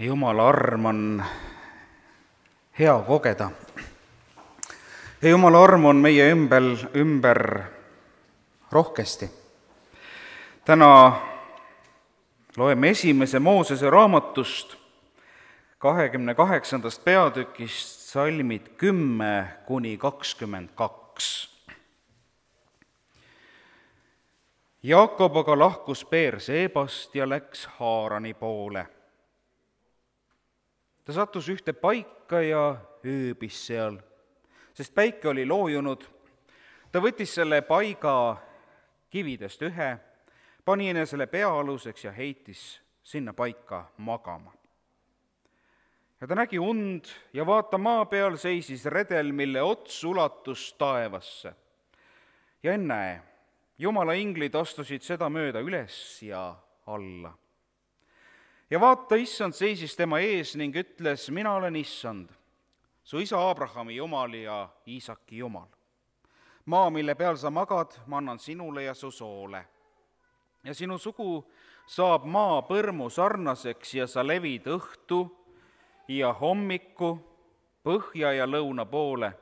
Jumala arm on hea kogeda. Ja Jumala arm on meie ümber rohkesti. Täna loeme esimese Moosese raamatust 28. peatükist salmid 10–22. Jaakob aga lahkus Beerseebast ja läks Haarani poole. Ta sattus ühte paika ja ööbis seal, sest päike oli loojunud. Ta võttis selle paiga kividest ühe, pani enesele peaaluseks ja heitis sinna paika magama. Ja ta nägi und ja vaata, maa peal seisis redel, mille ots ulatus taevasse. Ja ennäe, Jumala inglid astusid seda mööda üles ja alla. Ja vaata, issand seisis tema ees ning ütles, mina olen issand, su isa Abrahami Jumal ja Iisaki Jumal. Maa, mille peal sa magad, ma annan sinule ja su soole. Ja sinu sugu saab maa põrmu sarnaseks ja sa levid õhtu ja hommiku, põhja ja lõuna poole.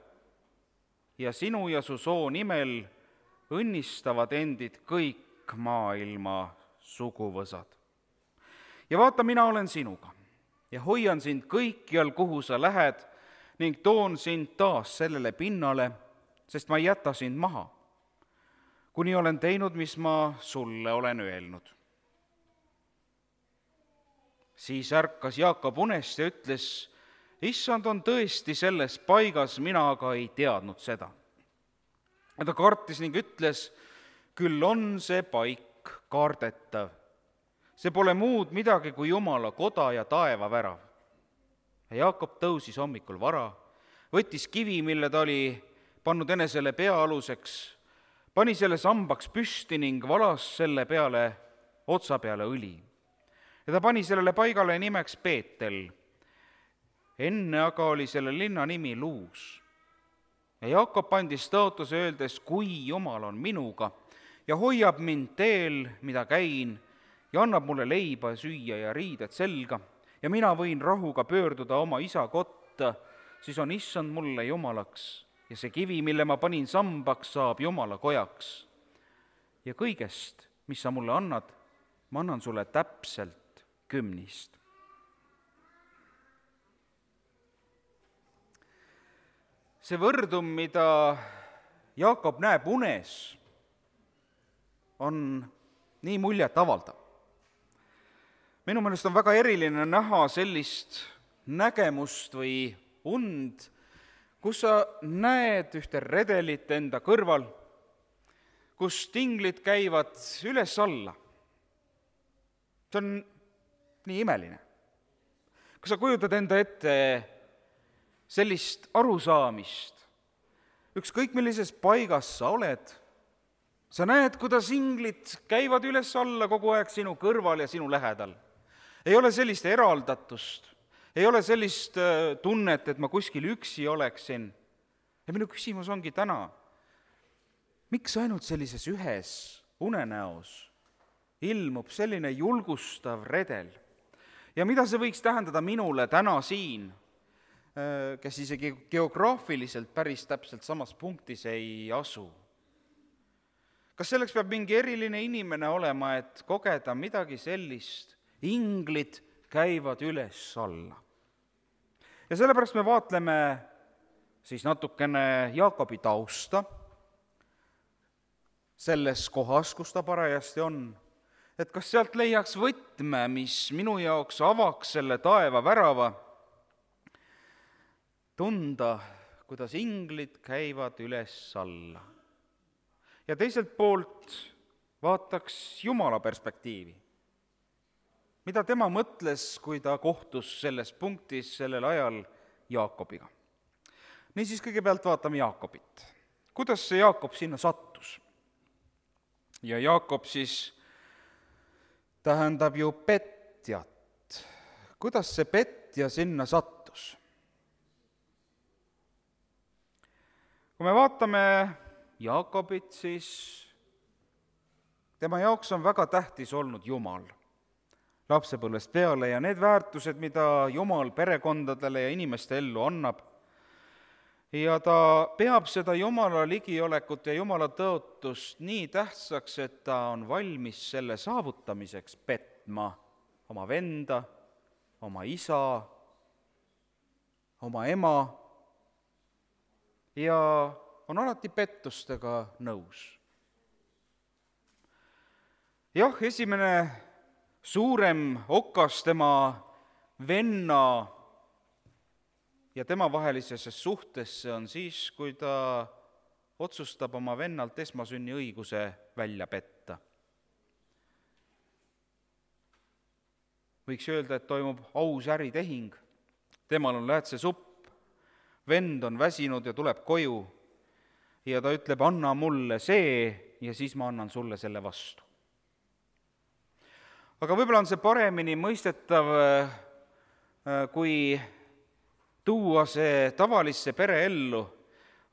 Ja sinu ja su soo nimel õnnistavad endid kõik maailma suguvõsad. Ja vaata, mina olen sinuga ja hoian sind kõikjal, kuhu sa lähed, ning toon sind taas sellele pinnale, sest ma ei jäta sind maha, kuni olen teinud, mis ma sulle olen öelnud. Siis ärkas Jaakob unest ja ütles, issand on tõesti selles paigas, mina aga ei teadnud seda. Ja ta kartis ning ütles, küll on see paik kaardetav. See pole muud midagi kui Jumala koda ja taevavärav. Ja Jaakob tõusis hommikul vara, võttis kivi, mille ta oli pannud enesele peaaluseks, pani selle sambaks püsti ning valas selle peale otsa peale õli. Ja ta pani sellele paigale nimeks Beetel. Enne aga oli selle linna nimi Luus. Ja Jaakob andis tõotuse öeldes, kui Jumal on minuga ja hoiab mind teel, mida käin, ja annab mulle leiba süüa ja riided selga, ja mina võin rahuga pöörduda oma isa kotta, siis on issand mulle jumalaks, ja see kivi, mille ma panin sambaks, saab Jumala kojaks. Ja kõigest, mis sa mulle annad, ma annan sulle täpselt 10. See võrdum, mida Jaakob näeb unes, on nii muljet avaldav. Minu meelest on väga eriline näha sellist nägemust või und, kus sa näed ühte redelit enda kõrval, kus tinglid käivad üles-alla. See on nii imeline. Kas sa kujutad enda ette sellist arusaamist, ükskõik millises paigas sa oled, sa näed, kuidas inglid käivad üles-alla kogu aeg sinu kõrval ja sinu lähedal. Ei ole sellist eraldatust, ei ole sellist tunnet, et ma kuskil üksi oleksin. Ja minu küsimus ongi täna, miks ainult sellises ühes unenäos ilmub selline julgustav redel? Ja mida see võiks tähendada minule täna siin, kes isegi geograafiliselt päris täpselt samas punktis ei asu? Kas selleks peab mingi eriline inimene olema, et kogeda midagi sellist? Inglid käivad üles-alla. Ja sellepärast me vaatleme siis natukene Jaakobi tausta selles kohas, kus ta parajasti on, et kas sealt leiaks võtme, mis minu jaoks avaks selle taeva värava, tunda, kuidas inglid käivad üles-alla. Ja teiselt poolt vaataks Jumala perspektiivi. Mida tema mõtles, kui ta kohtus selles punktis sellel ajal Jaakobiga? Niisiis kõigepealt vaatame Jaakobit. Kuidas see Jaakob sinna sattus? Ja Jaakob siis tähendab ju petjat. Kuidas see petja sinna sattus? Kui me vaatame Jaakobit, siis tema jaoks on väga tähtis olnud Jumal. lapsepõlvest peale ja need väärtused, mida Jumal perekondadele ja inimeste ellu annab. Ja ta peab seda Jumala ligiolekut ja Jumala tõotust nii tähtsaks, et ta on valmis selle saavutamiseks petma oma venda, oma isa, oma ema ja on alati pettustega nõus. Jah, esimene suurem okas tema venna ja tema vahelisesse suhtesse on siis, kui ta otsustab oma vennalt esmasünniõiguse välja petta. Võiks öelda, et toimub aus äritehing. Temal on läätsesupp, vend on väsinud ja tuleb koju ja ta ütleb, anna mulle see ja siis ma annan sulle selle vastu. Aga võib-olla on see paremini mõistetav, kui tuua see tavalisse pereellu.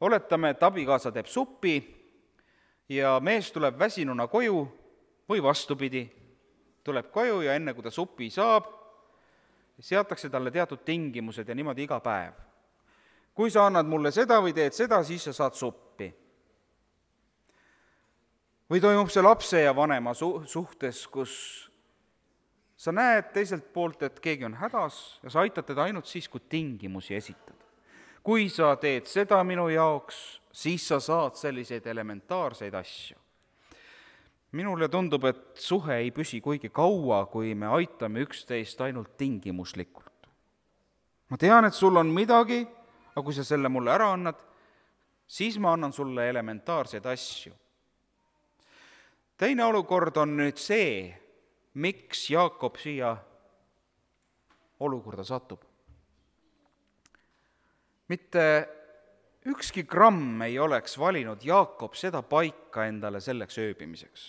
Oletame, et abikaasa teeb suppi ja mees tuleb väsinuna koju või vastupidi, tuleb koju ja enne, kui ta supi saab, seatakse talle teatud tingimused ja niimoodi iga päev. Kui sa annad mulle seda või teed seda, siis sa saad suppi. Või toimub see lapse ja vanema suhtes, kus sa näed teiselt poolt, et keegi on hädas ja sa aitad teda ainult siis, kui tingimusi esitad. Kui sa teed seda minu jaoks, siis sa saad selliseid elementaarseid asju. Minule tundub, et suhe ei püsi kuigi kaua, kui me aitame üksteist ainult tingimuslikult. Ma tean, et sul on midagi, aga kui sa selle mulle ära annad, siis ma annan sulle elementaarseid asju. Teine olukord on nüüd see, miks Jaakob siia olukorda satub. Mitte ükski gramm ei oleks valinud Jaakob seda paika endale selleks ööbimiseks,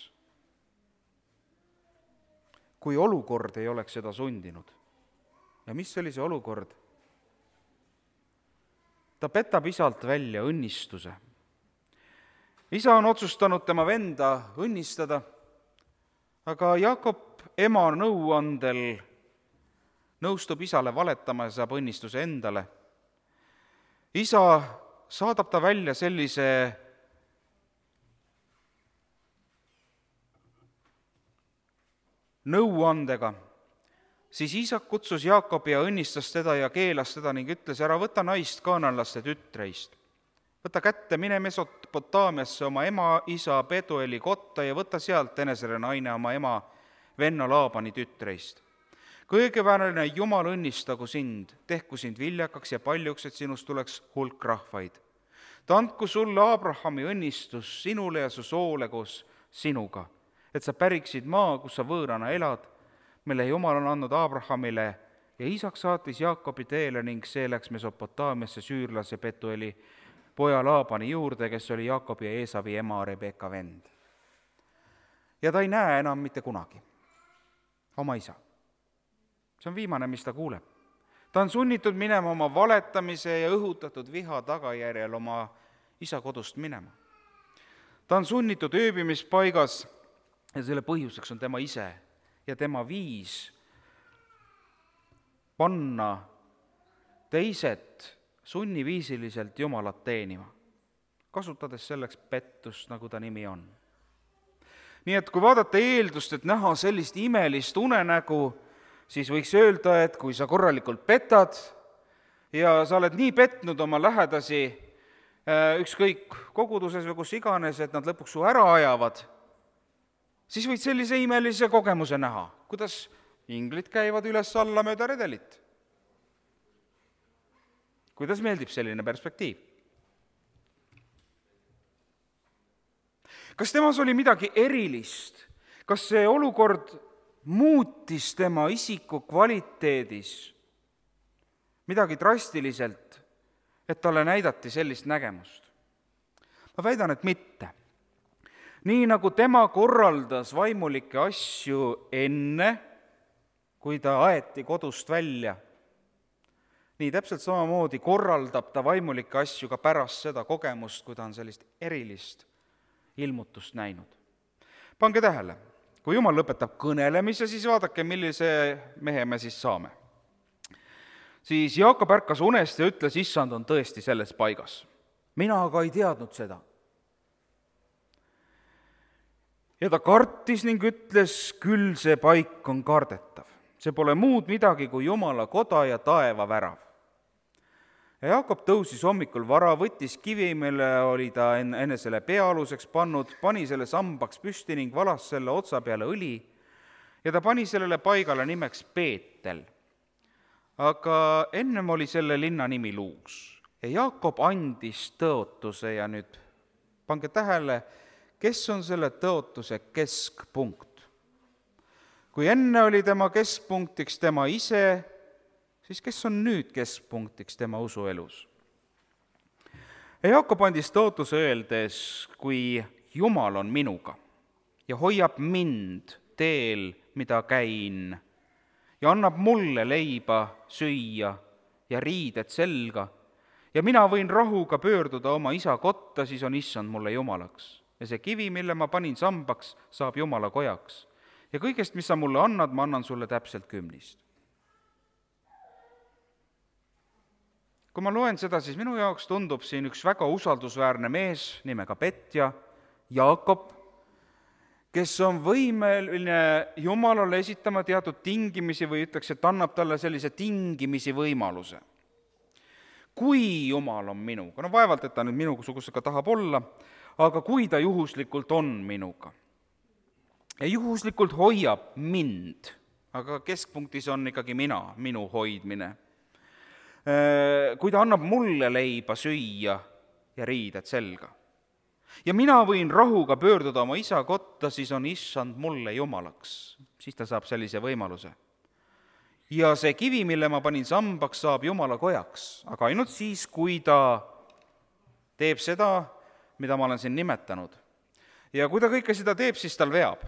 kui olukord ei oleks seda sundinud. Ja mis oli see olukord? Ta petab isalt välja õnnistuse. Isa on otsustanud tema venda õnnistada, aga Jaakob ema nõuandel nõustub isale valetama ja saab õnnistuse endale. Isa saadab ta välja sellise nõuandega, siis Iisak kutsus Jaakobi ja õnnistas teda ja keelas teda ning ütles, ära võta naist kaananlaste tütreist. Võta kätte, mine Mesopotaamiasse oma ema isa Petueli kotta ja võta sealt enesele naine oma ema venna Laabani tütreist. Kõigeväärne Jumal õnnistagu sind, tehku sind viljakaks ja paljuks, et sinust tuleks hulk rahvaid. Ta andku sulle Abrahami õnnistus sinule ja su soole koos sinuga, et sa päriksid maa, kus sa võõrana elad, mille Jumal on andnud Abrahamile ja Iisak saatis Jaakobi teele ning see läks Mesopotaamiasse süürlase Petueli poja Laabani juurde, kes oli Jaakobi ja Eesavi ema Rebeka vend. Ja ta ei näe enam mitte kunagi oma isa. See on viimane, mis ta kuuleb. Ta on sunnitud minema oma valetamise ja õhutatud viha tagajärjel oma isa kodust minema. Ta on sunnitud ööbimispaigas ja selle põhjuseks on tema ise ja tema viis panna teised sunniviisiliselt Jumalat teenima, kasutades selleks pettust, nagu ta nimi on. Nii et kui vaadata eeldust, et näha sellist imelist unenägu, siis võiks öelda, et kui sa korralikult petad ja sa oled nii petnud oma lähedasi, ükskõik koguduses või kus iganes, et nad lõpuks su ära ajavad, siis võid sellise imelise kogemuse näha, kuidas inglid käivad üles-alla mööda redelit. Kuidas meeldib selline perspektiiv? Kas temas oli midagi erilist? Kas see olukord muutis tema isiku kvaliteedis midagi drastiliselt, et talle näidati sellist nägemust? Ma väidan, et mitte. Nii nagu tema korraldas vaimulikke asju enne, kui ta aeti kodust välja, nii täpselt samamoodi korraldab ta vaimulikke asju ka pärast seda kogemust, kui ta on sellist erilist ilmutust näinud. Pange tähele, kui Jumal lõpetab kõnelemise, siis vaadake, millise mehe me siis saame. Siis Jaakop ärkas unest ja ütles, issand on tõesti selles paigas. Mina aga ei teadnud seda. Ja ta kartis ning ütles, küll see paik on kardetav. See pole muud midagi kui Jumala koda ja taeva värav. Ja Jaakop tõusis hommikul vara, võttis kivi, mille oli ta enesele peaaluseks pannud, pani selle sambaks püsti ning valas selle otsa peale õli ja ta pani sellele paigale nimeks Beetel. Aga ennem oli selle linna nimi Luus. Ja Jaakop andis tõotuse ja nüüd pange tähele, kes on selle tõotuse keskpunkt. Kui enne oli tema keskpunktiks tema ise, siis kes on nüüd keskpunktiks tema usuelus? Ja Jaakop andis tõotuse öeldes, kui Jumal on minuga ja hoiab mind teel, mida käin, ja annab mulle leiba süüa ja riided selga, ja mina võin rahuga pöörduda oma isa kotta, siis on issand mulle jumalaks. Ja see kivi, mille ma panin sambaks, saab Jumala kojaks. Ja kõigest, mis sa mulle annad, ma annan sulle täpselt 10. Kui ma loen seda, siis minu jaoks tundub siin üks väga usaldusväärne mees nimega Petja, Jaakop, kes on võimeline Jumalale esitama teatud tingimisi või ütleks, et annab talle sellise tingimisi võimaluse. Kui Jumal on minuga, no vaevalt, et ta nüüd minusugusega tahab olla, aga kui ta juhuslikult on minuga ja juhuslikult hoiab mind, aga keskpunktis on ikkagi minu hoidmine, kui ta annab mulle leiba süüa ja riided selga ja mina võin rahuga pöörduda oma isa kotta, siis on issand mulle jumalaks, siis ta saab sellise võimaluse. Ja see kivi, mille ma panin sambaks, saab Jumala kojaks, aga ainult siis, kui ta teeb seda, mida ma olen siin nimetanud. Ja kui ta kõike seda teeb, siis tal veab.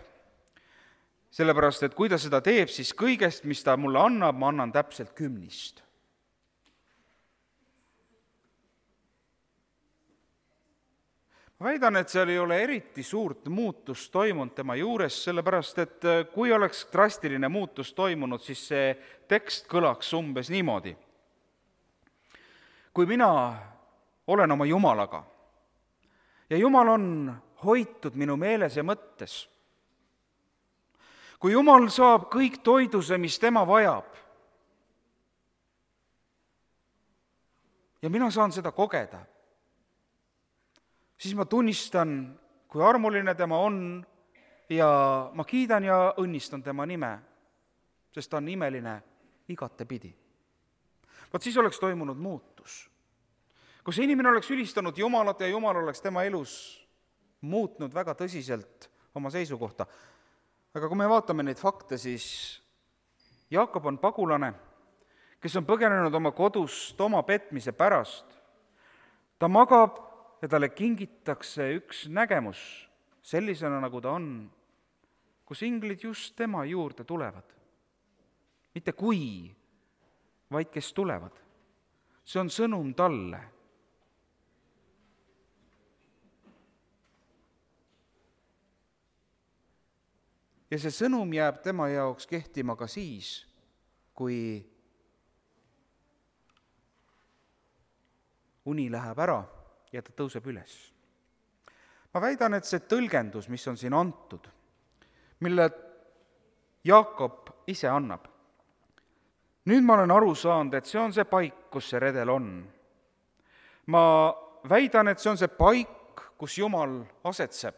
Sellepärast, et kui ta seda teeb, siis kõigest, mis ta mulle annab, ma annan täpselt 10. Ma väidan, et seal ei ole eriti suurt muutust toimunud tema juures, sellepärast, et kui oleks drastiline muutus toimunud, siis see tekst kõlaks umbes niimoodi. Kui mina olen oma Jumalaga ja Jumal on hoitud minu meeles ja mõttes, kui Jumal saab kõik toiduse, mis tema vajab, ja mina saan seda kogeda, siis ma tunnistan, kui armuline tema on ja ma kiidan ja õnnistan tema nime, sest ta on imeline igatepidi. Vaat siis oleks toimunud muutus, kus inimene oleks ülistanud Jumalat ja Jumal oleks tema elus muutnud väga tõsiselt oma seisukohta. Aga kui me vaatame neid fakte, siis Jaakop on pagulane, kes on põgenenud oma kodust oma petmise pärast. Ta magab ja talle kingitakse üks nägemus sellisena, nagu ta on, kus inglid just tema juurde tulevad. Mitte kui, vaid kes tulevad. See on sõnum talle. Ja see sõnum jääb tema jaoks kehtima ka siis, kui uni läheb ära ja ta tõuseb üles. Ma väidan, et see tõlgendus, mis on siin antud, mille Jaakop ise annab, nüüd ma olen aru saanud, et see on see paik, kus see redel on. Ma väidan, et see on see paik, kus Jumal asetseb.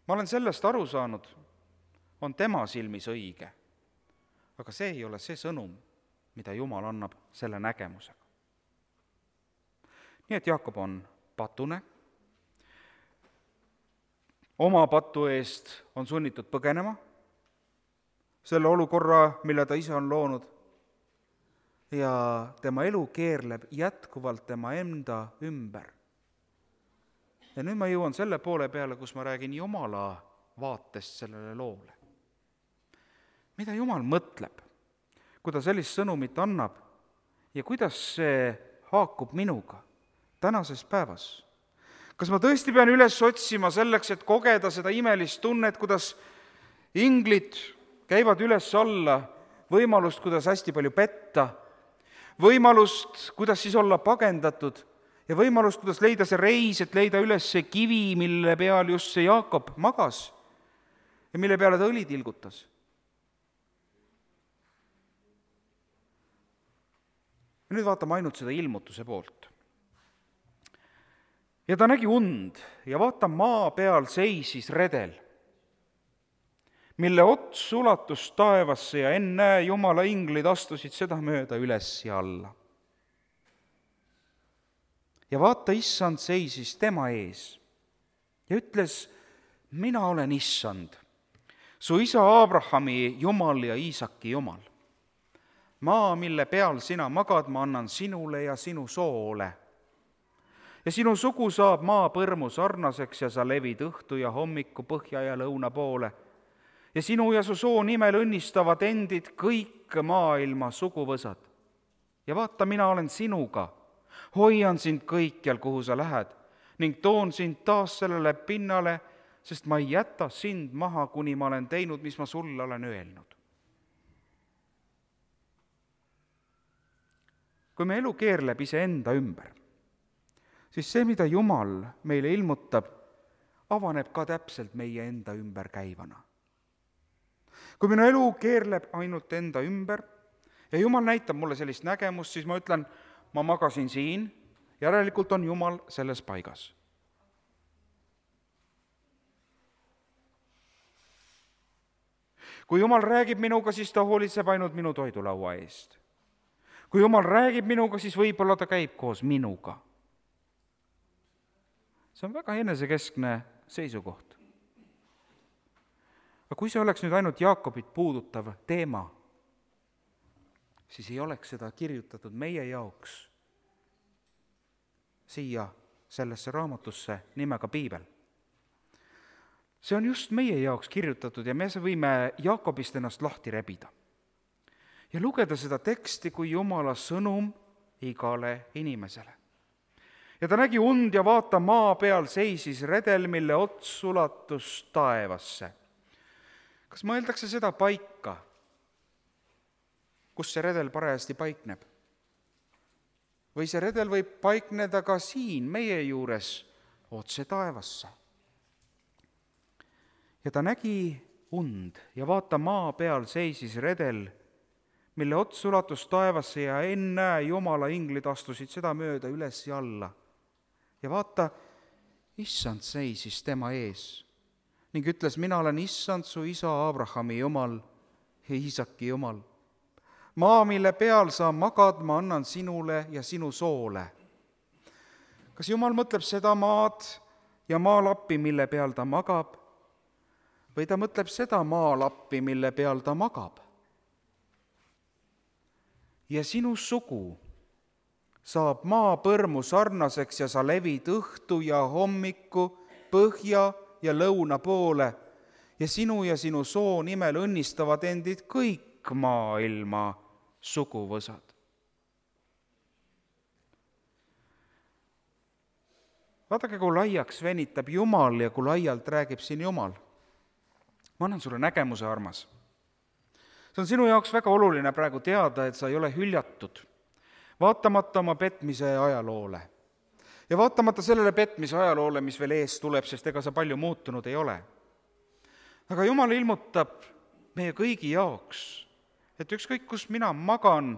Ma olen sellest aru saanud, on tema silmis õige, aga see ei ole see sõnum, mida Jumal annab selle nägemusega. Nii et Jaakop on patune, oma patu eest on sunnitud põgenema, selle olukorra, mille ta ise on loonud, ja tema elu keerleb jätkuvalt tema enda ümber. Ja nüüd ma jõuan selle poole peale, kus ma räägin Jumala vaatest sellele loole. Mida Jumal mõtleb, kui ta sellist sõnumit annab ja kuidas see haakub minuga tänases päevas? kas ma tõesti pean üles otsima selleks, et kogeda seda imelist tunnet, kuidas inglid käivad üles-alla, võimalust, kuidas hästi palju petta, võimalust, kuidas siis olla pagendatud ja võimalust, kuidas leida see reis, et leida üles see kivi, mille peal just see Jaakob magas ja mille peale ta õli tilgutas. Ja nüüd vaatame ainult seda ilmutuse poolt. Ja ta nägi und ja vaata, maa peal seisis redel, mille ots ulatus taevasse ja ennäe, Jumala inglid astusid seda mööda üles ja alla. Ja vaata, issand seisis tema ees ja ütles, mina olen issand, su isa Abrahami Jumal ja Iisaki Jumal. Maa, mille peal sina magad, ma annan sinule ja sinu soole. Ja sinu sugu saab maapõrmu sarnaseks ja sa levid õhtu ja hommiku põhja ja lõuna poole. Ja sinu ja su soo nimel õnnistavad endid kõik maailma suguvõsad. Ja vaata, mina olen sinuga, hoian sind kõikjal, kuhu sa lähed, ning toon sind taas sellele pinnale, sest ma ei jäta sind maha, kuni ma olen teinud, mis ma sulle olen öelnud. Kui me elu keerleb iseenda ümber, siis see, mida Jumal meile ilmutab, avaneb ka täpselt meie enda ümber käivana. Kui minu elu keerleb ainult enda ümber ja Jumal näitab mulle sellist nägemust, siis ma ütlen, ma magasin siin, järelikult on Jumal selles paigas. Kui Jumal räägib minuga, siis ta hoolitseb ainult minu toidulaua eest. Kui Jumal räägib minuga, siis võib-olla ta käib koos minuga. See on väga enesekeskne seisukoht. Aga kui see oleks nüüd ainult Jaakobit puudutav teema, siis ei oleks seda kirjutatud meie jaoks siia sellesse raamatusse nimega Piibel. See on just meie jaoks kirjutatud ja me võime Jaakobist ennast lahti rebida ja lugeda seda teksti kui Jumala sõnum igale inimesele. Ja ta nägi und ja vaata, maa peal seisis redel, mille ots ulatus taevasse. Kas mõeldakse seda paika, kus see redel parajasti paikneb? Või see redel võib paikneda ka siin meie juures otse taevasse? Ja ta nägi und ja vaata, maa peal seisis redel, mille ots ulatus taevasse ja ennäe, Jumala inglid astusid seda mööda üles ja alla. Ja vaata, issand seisis tema ees ning ütles, mina olen issand, su isa Abrahami Jumal ja Iisaki Jumal. Maa, mille peal sa magad, ma annan sinule ja sinu soole. Kas Jumal mõtleb seda maad ja maalappi, mille peal ta magab, või ta mõtleb seda maalappi, mille peal ta magab? Ja sinu sugu saab maapõrmu sarnaseks ja sa levid õhtu ja hommiku, põhja ja lõuna poole ja sinu soo nimel õnnistavad endid kõik maailma suguvõsad. Vaadake, kui laiaks venitab Jumal ja kui laialt räägib siin Jumal. Ma annan sulle nägemuse, armas. See on sinu jaoks väga oluline praegu teada, et sa ei ole hüljatud, vaatamata oma petmise ajaloole. Ja vaatamata sellele petmise ajaloole, mis veel ees tuleb, sest ega sa palju muutunud ei ole. Aga Jumal ilmutab meie kõigi jaoks, et ükskõik, kus mina magan,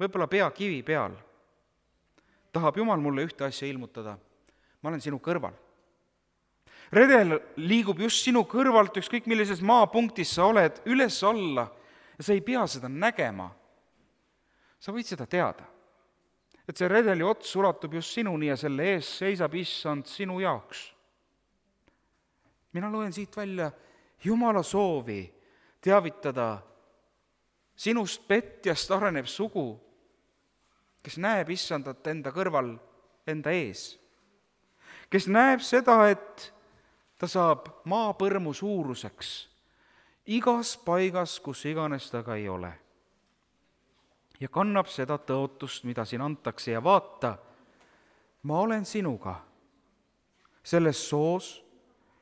võib-olla pea kivi peal, tahab Jumal mulle ühte asja ilmutada. Ma olen sinu kõrval. Redel liigub just sinu kõrvalt, ükskõik millises maapunktis sa oled, üles-alla, ja sa ei pea seda nägema. Sa võid seda teada, et see redeli ots ulatub just sinuni ja selle ees seisab issand sinu jaoks. Mina loen siit välja Jumala soovi teavitada sinust petjast arenev sugu, kes näeb issandat enda kõrval, enda ees, kes näeb seda, et ta saab maapõrmu suuruseks igas paigas, kus iganes ta ka ei ole. Ja kannab seda tõotust, mida siin antakse ja vaata, ma olen sinuga. selles soos,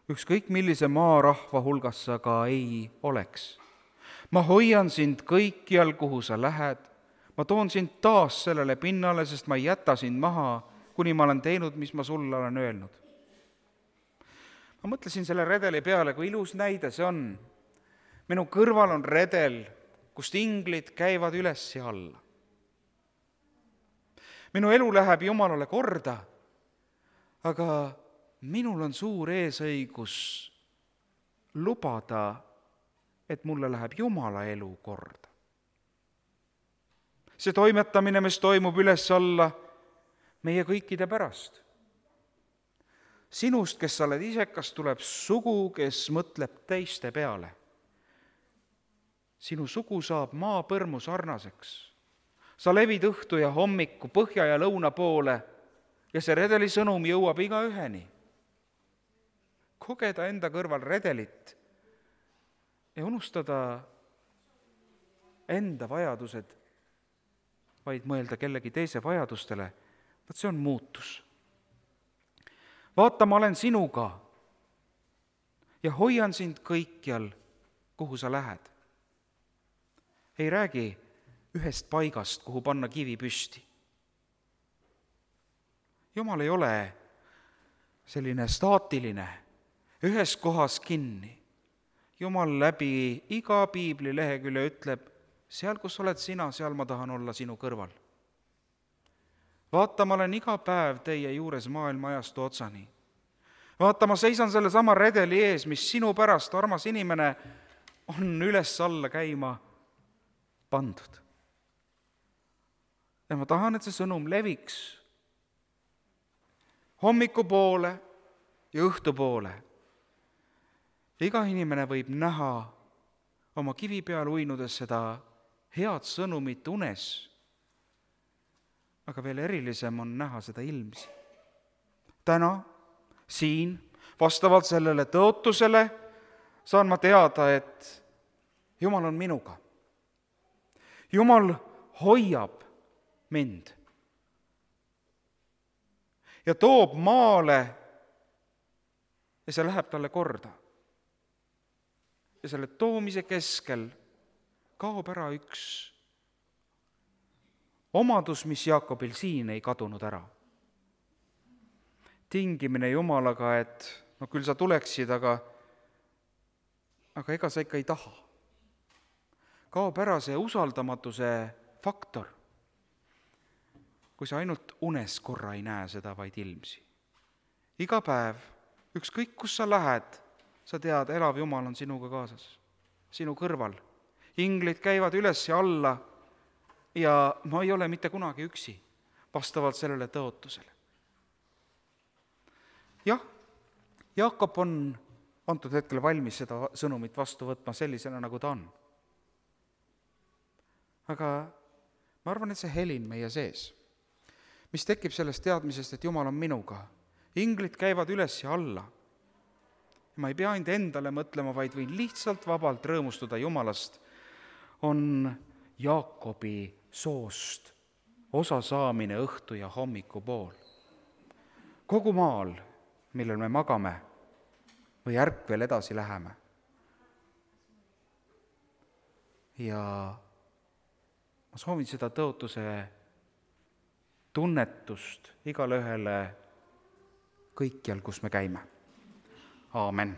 ükskõik millise maarahva hulgas sa ka ei oleks. ma hoian sind kõikjal, kuhu sa lähed, ma toon sind taas sellele pinnale, sest ma ei jäta sind maha, kuni ma olen teinud, mis ma sulle olen öelnud. ma mõtlesin selle redeli peale, kui ilus näide see on. minu kõrval on redel, kust inglid käivad üles ja alla. minu elu läheb Jumalale korda, aga minul on suur eesõigus lubada, et mulle läheb Jumala elu korda. see toimetamine, mis toimub üles-alla, meie kõikide pärast. Sinust, kes sa oled isekas, tuleb sugu, kes mõtleb teiste peale. Sinu sugu saab maapõrmu sarnaseks. Sa levid õhtu ja hommiku, põhja ja lõuna poole ja see redeli sõnum jõuab igaüheni. Kogeda enda kõrval redelit ja unustada enda vajadused, vaid mõelda kellegi teise vajadustele, vaat see on muutus. Vaata, ma olen sinuga ja hoian sind kõikjal, kuhu sa lähed. Ei räägi ühest paigast, kuhu panna kivi püsti. Jumal ei ole selline staatiline, ühes kohas kinni. Jumal läbi iga piibli lehekülje ütleb, seal, kus oled sina, seal ma tahan olla sinu kõrval. Vaata, ma olen iga päev teie juures maailma ajastu otsani. Vaata, ma seisan selle sama redeli ees, mis sinu pärast, armas inimene, on üles-alla käima pandud. Ja ma tahan, et see sõnum leviks hommikupoole ja õhtupoole. Iga inimene võib näha oma kivi peal uinudes seda head sõnumit unes, aga veel erilisem on näha seda ilmsi. Täna, siin, vastavalt sellele tõotusele, saan ma teada, et Jumal on minuga. Jumal hoiab mind ja toob maale ja see läheb talle korda. Ja selle toomise keskel kaob ära üks omadus, mis Jaakobil siin ei kadunud ära. Tingimine Jumalaga, et küll sa tuleksid, aga ega sa ikka ei taha. Kaob ära see usaldamatuse faktor, kui sa ainult unes korra ei näe seda, vaid ilmsi. Iga päev, ükskõik kus sa lähed, sa tead, elav Jumal on sinuga kaasas, sinu kõrval. Inglid käivad üles ja alla ja ma ei ole mitte kunagi üksi, vastavalt sellele tõotusele. Jah, Jaakob on antud hetkel valmis seda sõnumit vastu võtma sellisena, nagu ta on. Aga ma arvan, et see helin meie sees, mis tekib sellest teadmisest, et Jumal on minuga. Inglid käivad üles ja alla. Ma ei pea ainult endale mõtlema, vaid võin lihtsalt vabalt rõõmustuda Jumalast, on Jaakobi soost osa saamine õhtu ja hommiku pool. Kogu maal, millel me magame või ärkvel edasi läheme. Ja ma soovin seda tõotuse tunnetust igale ühele kõikjal, kus me käime. Aamen.